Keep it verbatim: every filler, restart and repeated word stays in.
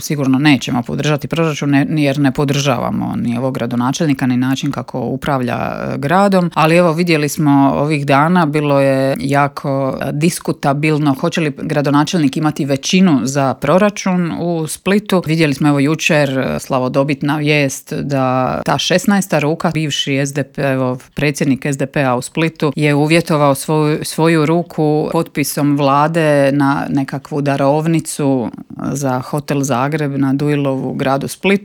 sigurno nećemo podržati proračun jer ne podržavamo ni ovog gradonačelnika ni način kako upravlja gradom, ali evo vidjeli smo ovih dana, bilo je jako diskutabilno hoće li gradonačelnik imati većinu za proračun u Splitu. Vidjeli smo evo jučer slavodobitna vijest da ta šesnaesta ruka, bivši es de pe, evo, predsjednik es de pe-a u Splitu je uvjetovao svoju, svoju ruku potpisom vlade na nekakvu darovnicu za hotel Zagreb na Duilovu gradu Splitu.